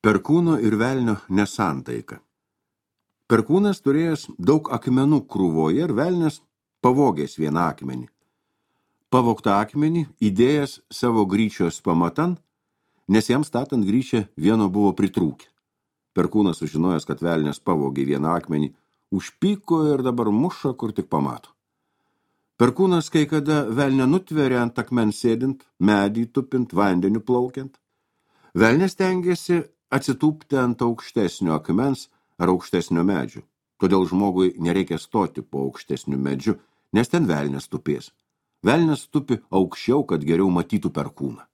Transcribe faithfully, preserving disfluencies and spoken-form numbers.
Perkūno ir velnio nesantaika. Perkūnas turėjęs daug akmenų krūvoje ir velnias pavogęs vieną akmenį. Pavogtą akmenį įdėjęs savo gryčios pamatan, nes jam statant gryčią vieno buvo pritrūkę. Perkūnas sužinojęs, kad velnias pavogė vieną akmenį, užpyko ir dabar muša, kur tik pamato. Perkūnas kai kada velnę nutveria ant akmens sėdint, medį tupint, vandeniu plaukiant. Velnias stengiasi atsitūpti ant aukštesnio akmens ar aukštesnio medžio. Todėl žmogui nereikia stoti po aukštesniu medžiu, nes ten velnias tupės. Velnias tupi aukščiau, kad geriau matytų perkūną.